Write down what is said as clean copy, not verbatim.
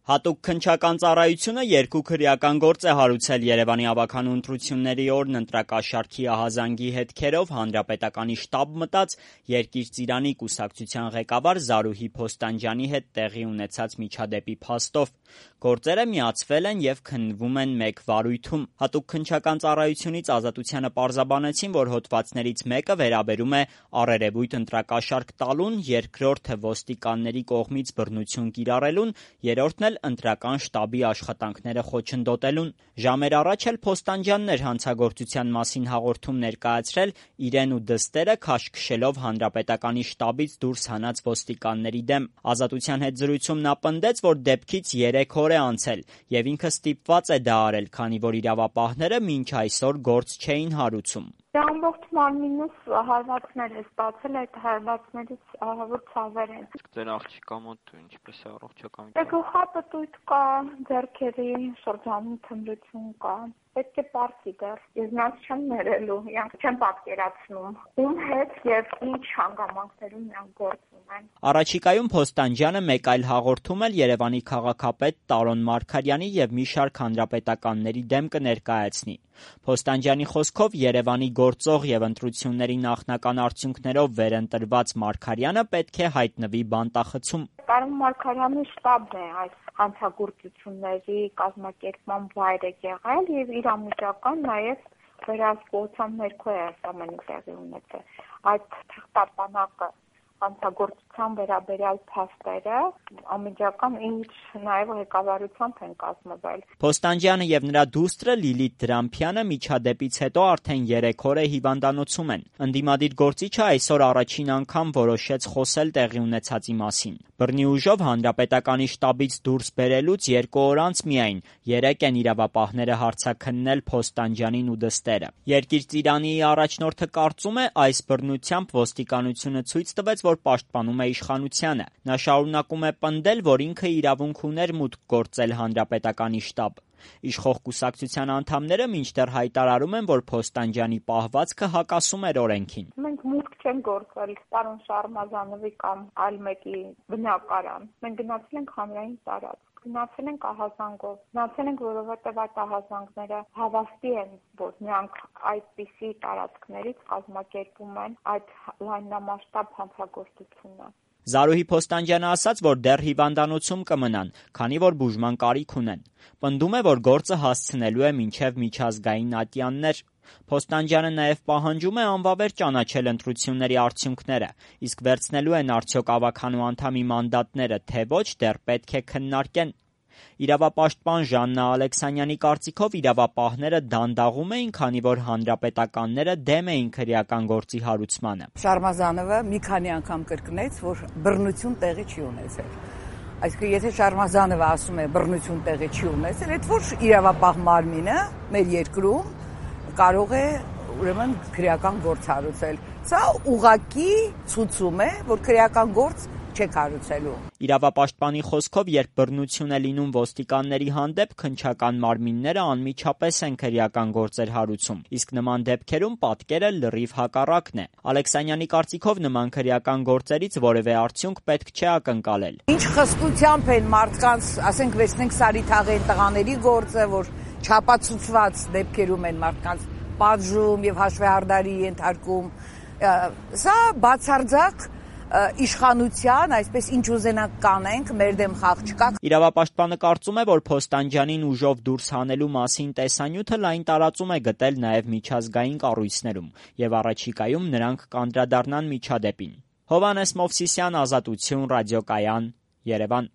Հատուկ քննչական ծառայությունը երկու քրեական գործ է հարուցել Երևանի ավագանու ընտրությունների օրն ընտրակաշառքի ահազանգի հետքերով Հանրապետականի շտաբ մտած Երկիր Ծիրանի կուսակցության ղեկավար Զարուհի Փոստանջյանի հետ տեղի ունեցած միջադեպի փաստով։ Գործերը միացվել են եւ քննվում են մեկ վարույթում։ Հատուկ քննչական ծառայությունից Ազատությանը պարզաբանեցին, որ հոդվածներից մեկը վերաբերում է առերևույթ ընտրակաշառք տալուն, երկրորդը ոստիկանների կողմից բռնություն կիրառելուն, երրորդն էլ ընտրական շտաբի աշխատանքները խոչընդոտելուն։ Ժամեր առաջ էլ Փոստանջյանն էր հանցագործության մասին հաղորդում ներկայացրել իրեն ու դստերը քաշքշելով Հանրապետականի շտաբից դուրս հանած ոստիկանների դեմ։ Ազատության հետ զրույցում նա պնդեց, որ դեպքից 3 օր է անցել եւ ինքը ստիպված է դա արել, քանի որ իրավապահները մինչ այսօր գործ չէին հարուցում։ Ամբողջ մարմինս հարվածներ է ստացել, այդ հարվածներից ահավոր ցավեր են։ Ձեր աղջիկա մոտ ինչպես է առողջական։ Գլխապտույտ կա, ձեռքերի շրջանում թմրություն կա։ Պետք է պարզի դեռ։ Ես նրանց չեմ ներելու, իրանք չեմ պատկերացնում։ Ում հետ եւ ինչ հանգամանքներում նրանք գործում են։ Առաջիկայում Փոստանջյանը մեկ այլ հաղորդում էլ Երևանի քաղաքապետ Տարոն Մարգարյանի եւ մի շարք հանրապետականների դեմ կներկայացնի։ Փոստանջյանի խոսքով Երևանի գործող եւ ընտրությունների նախնական արդյունքներով վերընտրված Մարգարյանը պետք է հայտնվի բանտախցում։ Տարոն Մարգարյանի շտաբն է այս հանցագործությունների կազմակերպման վայրը եղել եւ իր անմիջական նաեւ վերահսկողության ներքո է այս ամենը տեղի ունեցել։ Այդ թղթապանակը հանցագործության վերաբերյալ փաստերը անմիջական ինչ նաեւ ղեկավարությամբ են կազմվել։ Փոստանջյանը եւ նրա դուստրը Լիլիթ Դրամփյանը միջադեպից հետո արդեն 3 օր է հիվանդանոցում են։ Ընդդիմադիր գործիչը այսօր առաջին անգամ որոշեց խոսել տեղի ունեցածի մասին։ Բռնի ուժով Հանրապետականի շտաբից դուրս բերելուց 2 օր անց միայն 3 են իրավապահները հարցաքննել Փոստանջյանին ու դստերը։ Երկիր Ծիրանիի առաջնորդը կարծում է, այս բռնությամբ ոստիկանությունը ցույց տվեց, որ պաշտպանում է իշխանությանը։ Նա շարունակում է պնդել, որ ինքը իրավունք ուներ մուտք գործել Հանրապետականի շտաբ։ Իշխող կուսակցության անդամները մինչդեռ հայտարարում են, որ Փոստանջյանի պահվածքը հակասում էր օրենքին։ Մենք մուտք չենք գործել պարոն Շարմազանովի կամ այլ մեկի բնակարան։ Մենք գնացել ենք հանրային տարածք։ Գնացել ենք ահազանգով։ Գնացել ենք, որովհետև այդ ահազանգները հավաստի են, որ նրանք այդպիսի տարածքներից կազմակերպում են այդ լայնամասշտաբ հանցագործությունը։ Զարուհի Փոստանջյանը ասաց, որ դեռ հիվանդանոցում կմնան, քանի որ բուժման կարիք ունեն։ Պնդում է, որ գործը հասցնելու է մինչև միջազգային ատյաններ։ Փոստանջյանը նաև պահանջում է անվավեր ճանաչել ընտրությունների արդյունքները, իսկ վերցնելու են արդյոք ավագանու անդամի մանդատները, թե ոչ, դեռ պետք է քննարկեն։ Իրավապաշտպան Ժաննա Ալեքսանյանի կարծիքով իրավապահները դանդաղում էին, քանի որ հանրապետականները դեմ էին քրեական գործի հարուցմանը։ Շարմազանովը մի քանի անգամ կրկնեց, որ բռնություն տեղի չի ունեցել։ Այսինքն, եթե Շարմազանովը ասում է բռնություն տեղի չի ունեցել, այդ որ իրավապահ մարմինը մեր երկրում կարող է ուրեմն քրեական գործ հարուցել։ Սա ուղղակի ցույցում է, որ քրեական գործ չեք հարուցելու։ Իրավապաշտպանի խոսքով, երբ բռնություն է լինում ոստիկանների հանդեպ, քննչական մարմինները անմիջապես են քրեական գործեր հարուցում, իսկ նման դեպքերում պատկերը լրիվ հակառակն է։ Ալեքսանյանի կարծիքով նման քրեական գործերից որևէ արդյունք պետք չէ ակնկալել։ Ինչ խստությամբ են մարդկանց, ասենք, վերցնենք Սարիթաղեն տղաների գործը, որ չապացուցված դեպքերում են մարդկանց պատժում եւ հաշվեհարդարի ենթարկում, սա բացարձակ իշխանության, այսպես ինչ ուզենանք կանենք, մեր դեմ խաղ չկա։ Իրավապաշտպանը կարծում է, որ Փոստանջյանին ուժով դուրս հանելու մասին տեսանյութը լայն տարածում է գտել նաև միջազգային կառույցներում եւ առաջիկայում նրանք կանդրադառնան միջադեպին։ Հովհաննես Մովսիսյան, Ազատություն, ռադիոկայան, Երևան։